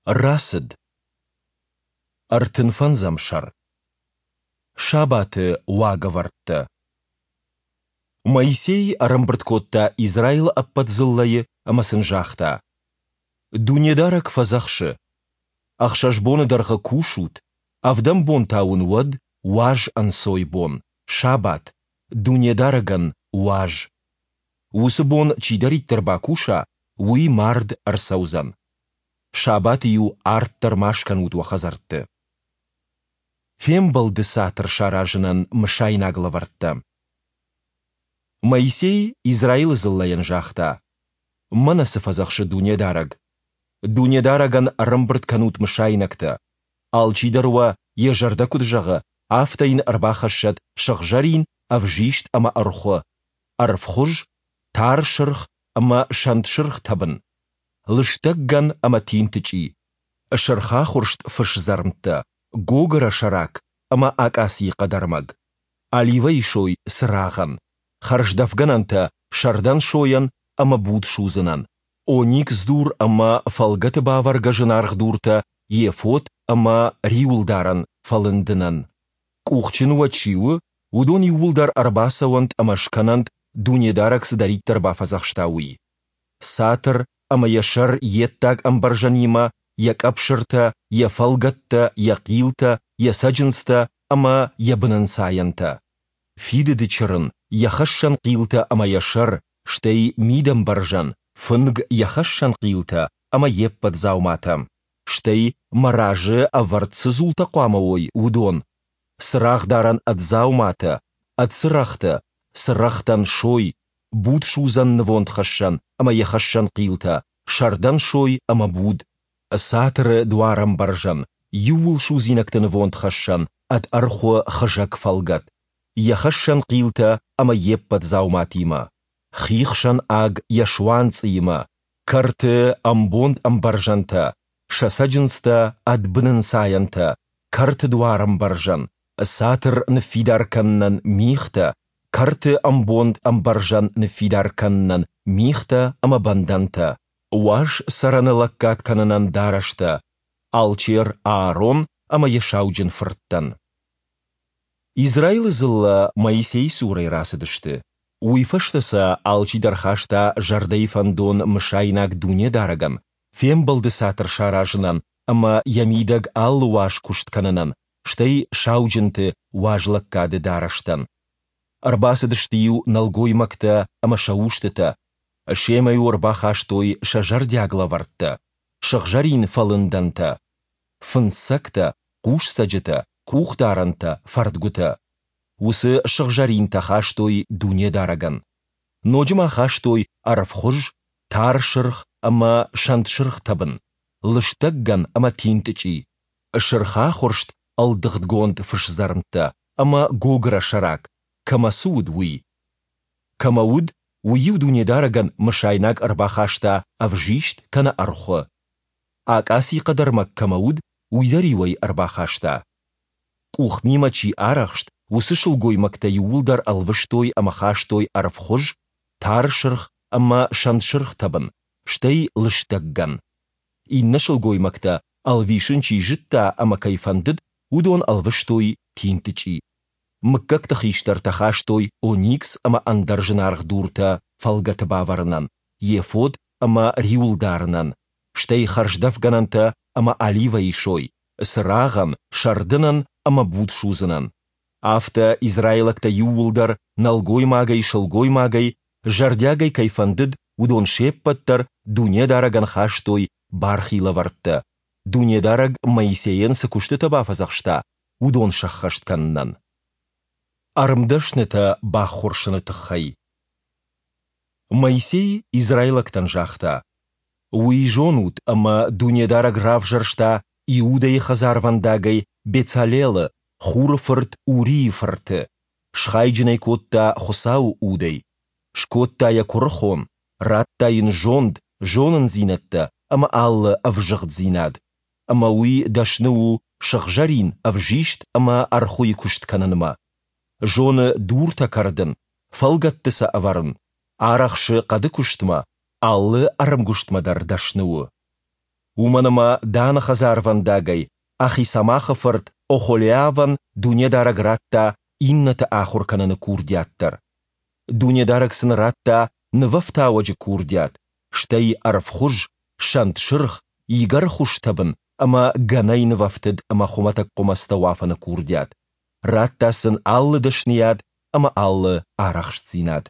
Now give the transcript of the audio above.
Рацыд. Ӕртынфӕндзӕм сӕр. Сабаты уагӕвӕрдтӕ. Моисей ӕрӕмбырд кодта Израилы ӕппӕт дзыллӕйы ӕмӕ сын загъта: Дунедарӕг фӕдзӕхсы: Ӕхсӕз боны дӕргъы кусут, ӕвдӕм бон та уын уӕд уаз ӕнцойбон, сабат, Дунедарӕгӕн уаз. Уыцы бон чидӕриддӕр бакуса, уый мард ӕрцӕудзӕн. Сабаты-иу арт дӕр ма скӕнут уӕ хӕдзӕртты. Фембӕлды цатыр саразынӕн мысайнаг лӕвӕрттӕ. Моисей Израилы дзыллӕйӕн загъта: Мӕнӕ цы фӕдзӕхсы Дунедарӕг! Дунедарӕгӕн ӕрӕмбырд кӕнут мысайнӕгтӕ. Алчидӕр уӕ, йӕ зӕрдӕ куыд зӕгъы, афтӕ йын ӕрбахӕссӕд сыгъзӕрин, ӕвзист ӕмӕ ӕрхуы, ӕрвхуыз, тар сырх ӕмӕ сӕнтсырх тӕбын, лыстӕг гӕн ӕмӕ тинтычъи, сырхахуырст фысдзӕрмттӕ, гогыра сӕрак ӕмӕ акъацийы хъӕдӕрмӕг, оливӕйы сой цырагъӕн, хӕрздӕфгӕнӕнтӕ сӕрдӕн сойӕн ӕмӕ буд судзынӕн, оникс дур ӕмӕ фӕлгӕты бавӕргӕ зынаргъ дуртӕ ефод ӕмӕ риуылдарӕн фӕлындынӕн. Къухджын уӕ чи у, уыдон иууылдӕр ӕрбацӕуӕнт ӕмӕ скӕнӕнт, Дунедарӕг цыдӕриддӕр бафӕдзӕхста, уый. Цатыр ӕмӕ йӕ сӕр йе ддаг ӕмбӕрзӕнимӕ, йӕ къӕпсыртӕ, йӕ фӕлгӕттӕ, йӕ хъилтӕ, йӕ цӕджындзтӕ ӕмӕ йӕ бынӕнцайӕнтӕ. Фидыды чырын, йӕ хӕссӕн хъилтӕ ӕмӕ йӕ сӕр, стӕй мидӕмбӕрзӕн, фынг, йӕ хӕссӕн хъилтӕ ӕмӕ йе ппӕт дзауматӕ, стӕй, мӕ разы ӕвӕрд цы дзултӕ хъуамӕ уой, уыдон, цырагъдарӕн ӕд дзауматӕ, ӕд цырӕгътӕ, цырӕгътӕн сой, будсудзӕн нывондхӕссӕн ӕмӕ йӕ хӕссӕн хъилтӕ, сӕрдӕн сой ӕмӕ буд, цатыры дуарӕмбӕрзӕн, иууылсудзинӕгты нывондхӕссӕн ӕд ӕрхуы хызӕг фӕлгӕт, йӕ хӕссӕн хъилтӕ ӕмӕ йе ппӕт дзауматимӕ, хихсӕн аг йӕ суанцъыимӕ, кӕрты ӕмбонд ӕмбӕрзӕнтӕ, сӕ цӕджындзтӕ ӕд бынӕнцайӕнтӕ, кӕрты дуарӕмбӕрзӕн, цатыр ныффидар кӕнынӕн михтӕ, кӕрты ӕмбонд ӕмбӕрзӕн ныффидар кӕнынӕн михтӕ ӕмӕ бӕндӕнтӕ, уаз цӕрӕны лӕггад кӕнынӕн дарӕстӕ, алчер Аарон ӕмӕ йӕ сауджын фырттӕн. Израилы дзыллӕ Моисейы цурӕй рацыдысты. Уый фӕстӕ сӕ алчидӕр хаста зӕрдӕйы фӕндон мысайнаг Дунедарӕгӕн, фембӕлды цатыр саразынӕн ӕмӕ йӕ мидӕг алы уаз куыст кӕнынӕн, стӕй сауджынты уазлӕггады дарӕстӕн. Ӕрбацыдысты-иу нӕлгоймӕгтӕ ӕмӕ сӕ устытӕ, семӕ-иу ӕрбахастой сӕ зӕрдиаг лӕвӕрттӕ, сыгъзӕрин фӕлындӕнтӕ, фындзцӕгтӕ, хъусцӕджытӕ, къухдарӕнтӕ, фӕрдгуытӕ. Уыцы сыгъзӕринтӕ хастой Дунедарӕгӕн. Ноджы ма хастой ӕрвхуыз, тар сырх ӕмӕ сӕнтсырх тӕбын, лыстӕг гӕн ӕмӕ тинтычъи, сырхахуырст ӕлдыгъдгонд фысдзӕрмттӕ ӕмӕ гогыра сӕрак, кӕмӕ цы уыд, уый. Кӕмӕ уыд, уый-иу Дунедарӕгӕн мысайнаг ӕрбахаста ӕвзист кӕнӕ ӕрхуы. Акъаци хъӕдӕрмӕг кӕмӕ уыд, уый дӕр-иу ӕй ӕрбахаста. Къухмимӕ чи арӕхст, уыцы сылгоймӕгтӕ иууылдӕр ӕлвыстой ӕмӕ хастой ӕрвхуыз, тар сырх ӕмӕ сӕнтсырх тӕбын, стӕй лыстӕг гӕн. Иннӕ сылгоймӕгтӕ, ӕлвисын чи зыдта ӕмӕ кӕй фӕндыд, уыдон ӕлвыстой тинтычъи. Мыггӕгты хистӕртӕ хастой оникс ӕмӕ ӕндӕр зынаргъ дуртӕ фӕлгӕты бавӕрынӕн, ефод ӕмӕ риуыл дарынӕн, стӕй хӕрздӕфгӕнӕнтӕ ӕмӕ оливӕйы сой, цырагъӕн, сӕрдынӕн ӕмӕ буд судзынӕн. Афтӕ израилӕгтӕ иууылдӕр, нӕлгоймагӕй, сылгоймагӕй, зӕрдиагӕй кӕй фӕндыд, уыдон се ппӕт дӕр Дунедарӕгӕн хастой бархи лӕвӕрттӕ, Дунедарӕг Моисейӕн цы куыстытӕ бафӕдзӕхста, уыдон сӕххӕст кӕнынӕн. Ӕрмдӕснытӕ баххуырсыны тыххӕй. Моисей израилӕгтӕн загъта: Уый зонут, ӕмӕ Дунедарӕг равзӕрста Иудӕйы хӕдзарвӕндагӕй Бецалелы, Хуры фырт Урийы фырты, схайджын ӕй кодта Хуыцауы Удӕй, скодта йӕ куырыхон, радта йын зонд, зонындзинӕдтӕ ӕмӕ алы ӕвзыгъддзинад, ӕмӕ уый дӕсны у сыгъзӕрин, ӕвзист ӕмӕ ӕрхуыйы куыст кӕнынмӕ. Зоны дуртӕ кӕрдын, фӕлгӕтты сӕ ӕвӕрын, арӕхсы хъӕды куыстмӕ, алы ӕрмгуыстмӕ дӕр дӕсны у. Уымӕн ӕмӕ Даны хӕдзарвӕндагӕй Ахисамахы фырт Охолиавӕн Дунедарӕг радта иннӕты ахуыр кӕныны курдиат дӕр. Дунедарӕг сын радта нывӕфтауӕджы курдиат, стӕй ӕрвхуыз, сӕнтсырх, игӕрхуыз тӕбын ӕмӕ гӕнӕй нывӕфтыд ӕмӕ хуымӕтӕг хъуымӕцтӕ уафыны курдиат, радта сын алы дӕсныйад ӕмӕ алы арӕхстдзинад.